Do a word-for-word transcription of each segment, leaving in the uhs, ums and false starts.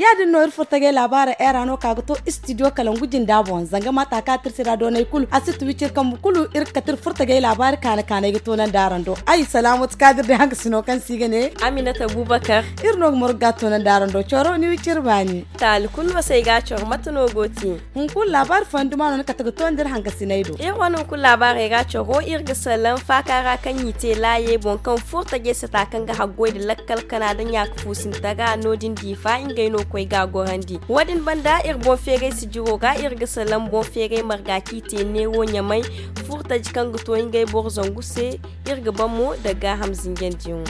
Ya- din no iri furtajey laabaara era no ka ga to istidiyo kalangu jinda boŋ zanga mata ka tirsi ra doonay kulu a si tubi ciri kambu kulu iri ga kati iri furtajey laabaari kaana kaanay ga toonandi araŋ do. Ay salaamatu kaadir day hangasino kaŋ se i ga ne aminata abubakar. Iri no ga margu ga toonandi araŋ do coro ni wi ciri baani. Taali kulu no se ay ga a coro mate no go ti? Hunkuna laabaari fooyaŋ duma no ni kate ga toonandi iri hangasiney do. Iri wane hunkuna laabaarey ga coro iri ga salaŋ faaka ra kaŋ i te laayey boŋ kaŋ furtajey sata kaŋ ga haggoy nda lakkal kana nda ɲaaka fuusinta ga no- din diifa ngey no koy ga a gorandi. Wo- din banda iri boŋ feeray sijiro ga iri ga salaŋ boŋ feeray marga kaŋ i te neewo ɲamay furtaji kaŋ ga to ngey boro zangu se. Iri ga ban mo nda gaaham zinjandiyaŋo.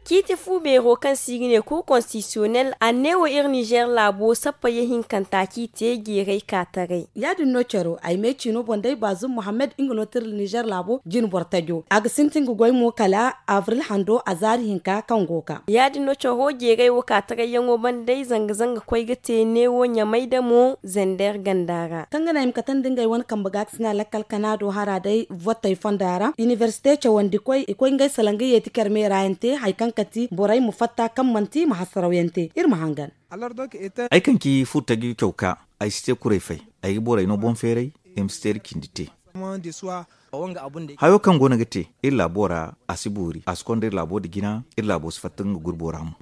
Ciiti fu beero kaŋ se i ga ne cour constitutionnel a neewo iri nizer laabo sappayey hinkanta kaŋ i te jeeray ka taray. Ya- din no caro ay me ciino boŋ day baazum mohammed nga no tira nizer laabo jine boro tajo a ga sintin ga goy mo kala abril hando a zaari hinka kaŋ go ga ka. Ya- din no caro jeeray wo ka tarayyaŋo banda day zanga zanga koy ga te neewo ɲamay da mo zander ganda ra kaŋ ga naŋ i ma katandi ngey wane kambe ga ga sina lakkal kana do hara day vottey fonda ra inibersite cawandi koy i koy ngey salaŋ ga yeeti care meera yaŋ te hari kaŋ kati borey ma fatta kaŋ manti ma hasaraw yaŋ te iri ma hangan. Ay kaŋ ci furtaji caw ka ay si te kuray fay. Ay ga borey no boŋ feeray i ma si te iri cindi te. Hayo kaŋ go no ga te iri laabo ra a si boori a si konda iri laabo nda jina iri laabo si fatta nga gurbo ra mo.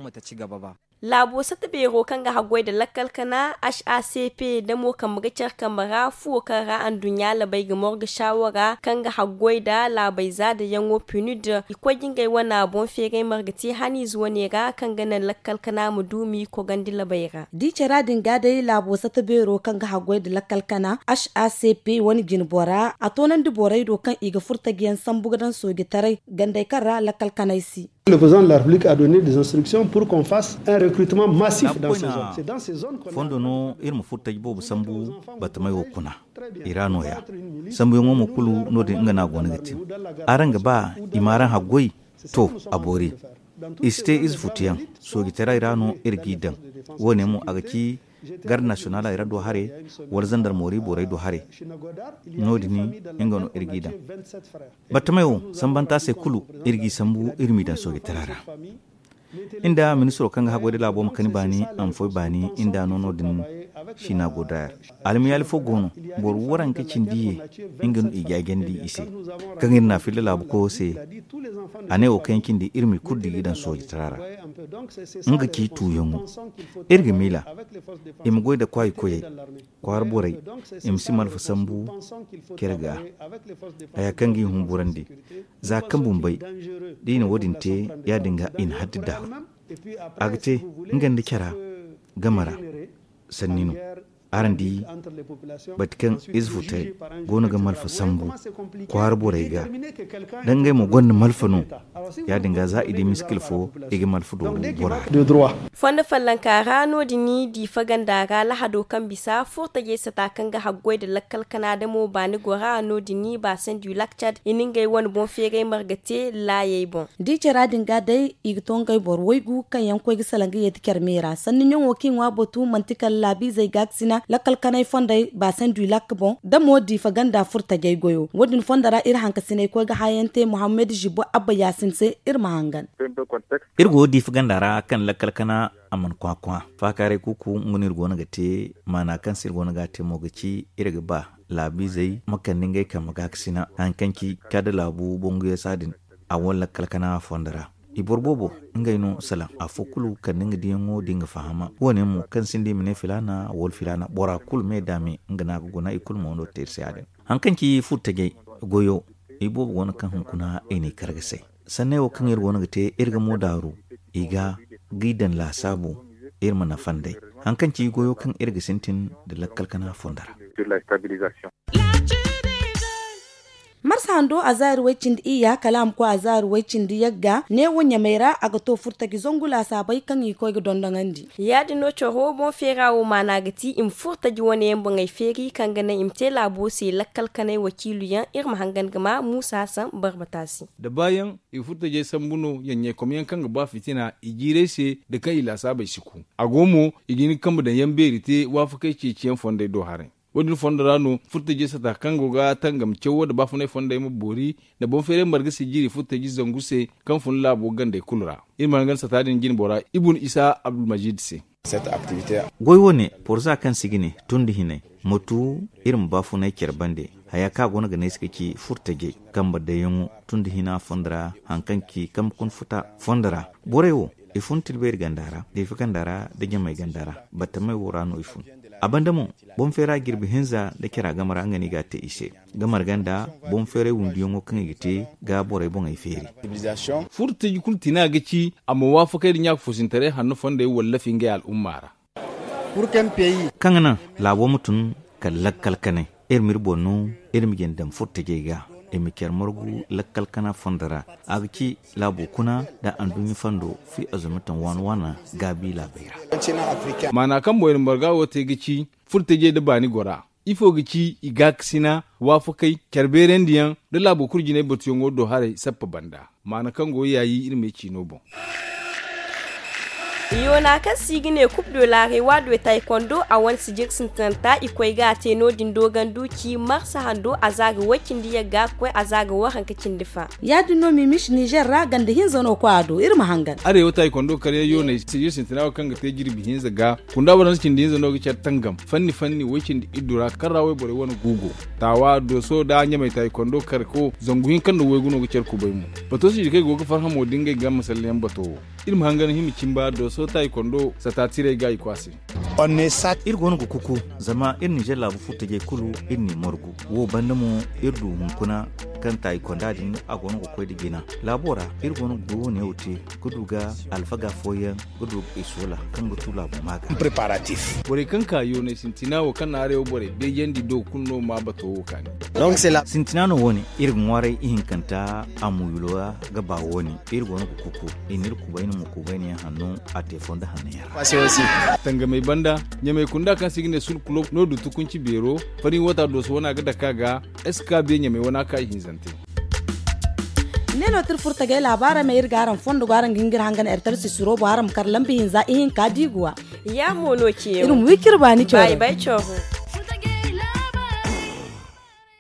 Laabo sata beero kaŋ ga haggoy nda lakkal kana h a c p da mo kambe ga care kambe ra fuwo kaŋ ra anduɲɲa labey ga morga shawara kaŋ ga haggoy nda laabey zaadayaŋo pinud i koy ga ngey wane boŋ feeray marga te haniize wane ra kaŋ ga naŋ lakkal kana ma du m'i kogandi labey ra. Da i cara din ga day laabo sata beero kaŋ ga haggoy nda lakkal kana h a c p wane jine bora a toonandi borey do kaŋ i ga furtajiyaŋ sambu ga daŋ soojitaray gandey kaŋ ra lakkal kanay si. Le président de la république a donné des instructions pour qu'on fasse un recrutement massif dans ces zones. Fondo no iri ma furtaji boobo sambu batamey wo kuna i ra nooya. Sambuyaŋo mo kulu no- din nga no a go no ga te. Araŋ ga ba i ma araŋ haggoy? To, a boori. I si te ize futuyaŋ soojitaray ra no iri g'i daŋ. Wo- ne mo a ga ci garde nasiyonaley ra do haray wala zandarmoori borey do haray. No- din nga no iri g'i daŋ. Battamey wo sambanta se kulu iri g'i sambu iri m'i daŋ soojitara ra. Nda ministiro kaŋ ga haggoy nda laabo ma kani baani a ma foy baani nda no no- din. Siina go daayar almiyaali fo go no. Boro waranka cindi ye nga no i jaajandi i se kaŋ iri n'a filla laabu koyo se. A ne wo kaŋ yaŋ cindi iri m'i kulu di g'i daŋ soojitara ra. Nga ci tuuyaŋo iri ga miila i ma goy nda kwaayi koyey kwaara borey i ma si malfa sambu care ga. Haya kaŋ g'i humburandi za kaŋ bumbey da i na wo- din te ya- din ga i na haddi daaru. A ga te nga nda cara game ra sanni no. Araŋ di bati kaŋ ize futey go no ga malfa sambu kwaara borey ga da ngey mo gonda malfa no. Ya- din ga za i di miskil fo i ga malfa dooru bora ra. Fondo follonka ra no- din diifa ganda ra lahado kaŋ bisa furtajey sata kaŋ ga haggoy nda lakkal kana damo baani gora no- din baasen du lak cad i na ngey wane boŋ feeray marga te laayey boŋ. Da i cara din ga day i ga to ngey boro waygu kaŋ yaŋ koy ga salaŋ ga yeeti care meera sanni ɲaŋo kaŋ i ŋwa batu manti kala laabiizey ga ga sina lakkal kanay fondey baasen du lak boŋ da mo diifa ganda furtajey goyo wo- din fondo ra iri hankasiney koy ga hayaŋ te muhammad zibo abba yaasin se. Iri ma hangan. Iri go diifa ganda ra kaŋ lakkal kana a mana kwakwa faakaaray kuuku nga no iri go no ga te maana kaŋ se iri go no ga a te mo ga ci iri ga ba laabiizey ma kande ngey kambe ga ga sina hari kaŋ ci kadda laabu banguyaŋ saadin. A wane lakkal kana fondo ra i boro boobo ngey no salaŋ afo kulu kande nga diyaŋo da nga fahama wo- ne mo kaŋ sinda i ma ne filaana wala filaana bora kulu me da me nga no a ga guna i kulu mo no ga te iri se ya- din. Hari kaŋ ci furtajey goyo i boobo go no kaŋ hunkuna i n'i kar ga say sanney wo kaŋ iri go no ga te iri ga mo daaru i ga g'i daŋ laasaabu iri ma nafa nd'ey. Hari kaŋ ci goyo kaŋ iri ga sintin nda lakkal kana fondo ra. Marsa hando a zaari way-cindi iyya kala a ma koy a zaari way-cindi yagga neewo ɲamey ra a ga to furtaji zangu laasaabey kaŋ i koy ga dondoŋandi. Ya- din no coro boŋ feera wo maana ga ti i ma furtaji wane yaŋ boŋey feeri kaŋ ga naŋ i ma te laabo se lakkal kanay wakiilu yaŋ iri ma hangan ga ma muusa hasan barbata se. Da baayaŋ i furtajey sambu no yaŋ ɲeekom yaŋ kaŋ ga ba fitina i jiirey se nda kaŋ i laasaabey si ku. A go mo i ga hin ga kambe daŋ yaŋ beeri te waafakey ceeciyaŋ fondey do haray. Wo- din fondo ra no furtajey sata kaŋ go ga tangam cawo nda baafunay fondey ma boori nda boŋ feeray marga sijiri furtaji zangu se, kaŋ fun laabo gandey kulu ra. Iri ma hangan sata din jine bora ibun isa abdulmajid se. Goy wo- ne, porza kaŋ si ga ne tun da hinay, ma tu iri ma baafunay care bande. Haya kaŋ a go no ga ne ay se ga ci furtajey kambe dayyaŋo tun da hina fondo ra, hari kaŋ ci kambe kuna futa fondo ra. Borey wo, i fun tilbeeri ganda ra, deefi ganda ra, da ɲamay ganda ra. Battamey wo ra no i fun. A banda mo, boŋ feera jirbi hinza nda cara game ra nga no i ga a te i se. Ga marga nda boŋ feeray wundiyaŋo kaŋ i ga te ga borey boŋey feeri. Furtaji kulu tina ga ci a ma waafakay nda ɲaaka-foosintaray hanno fondey wallafi ngey al'umma ra. Kaŋ ga naŋ laabo ma tun kala lakkal kanay, iri ma iri boŋ no, iri ma jin daŋ furtajey ga, i ma care margu lakkal kana fondo ra. A ga ci laabo kuna nda anduɲɲa fondo fi azumitan waana-waana gaabi laabey ra. Maana kaŋ boŋ iri marga wo te ga ci furtajey nda baani gora. Ifo ga ci i gaakasina, waafakay, care beerandiyaŋ nda laabo kulu jinay batuyaŋo do haray sappa banda. Maana kaŋ go yaayi iri me ciino boŋ. Yoona kaŋ se i ga ne kub do laaray waado taykondo a wane sijir sintinanta i koy ga a te no- din doogandu ci marsa hando a za ga way cindi yagga ga koy a za ga waranka cindi fa. Ya- din no mimis nizer ra ganda hinza no koy a do iri ma hangan. Arewa taykondo karyaŋ yooney sijir sintina wo kaŋ ga te jirbi hinza ga kunda waransa cindi hinza no ga care tangam fanni fanni way cindi iddu ra kaŋ ra wayborey wane guugo. Taawa dooso nda ɲamay taykondo karko zangu hinka nda waygu no ga care kubay mo. Bato sijikey go ga farhamo da ngey ga masalyaŋ bato wo. Iri ma hangan hima cimba dooso taykondo sata tirey ga i kwaase. Iri go no ga kuku zama iri nizer laabu furtajey kulu iri n'i margu. Wo banda mo iri du hunkuna kaŋ taykonda din a go no ga koy nda jina laabo ra. Iri go no ga goy wo- ne wo te ga du ga alfaga fooyaŋ ga du ga i soola kaŋ ga tu laabu maaga. Borey kaŋ ka yoonay sintina wo kaŋ na arewa borey beejandi do kulu no ma bato wo kaani. Sintina no wo- ne iri ga ŋwaaray ihinkanta a muyulo ra ga ba wo- ne. Iri go no ga kuku i na iri kubayna mo kubayna yaŋ hanno a te fondo hanno yaŋ ra. Tangamey banda ɲamey kunda kaŋ se i ga ne sulkulo no du tukunci beero fari wata dooso wane a ga dake a ga. Eska be ɲamey wane a ka ihinzante. Ne no tira furtagay laabaara me iri ga araŋ fondo go araŋ ga hin ga iri hangan ertar sisiro bo araŋ ma kar lambi hinza ihinka diiguwa. Ya mo no ciyaŋ iri ma wi cire baani cawra.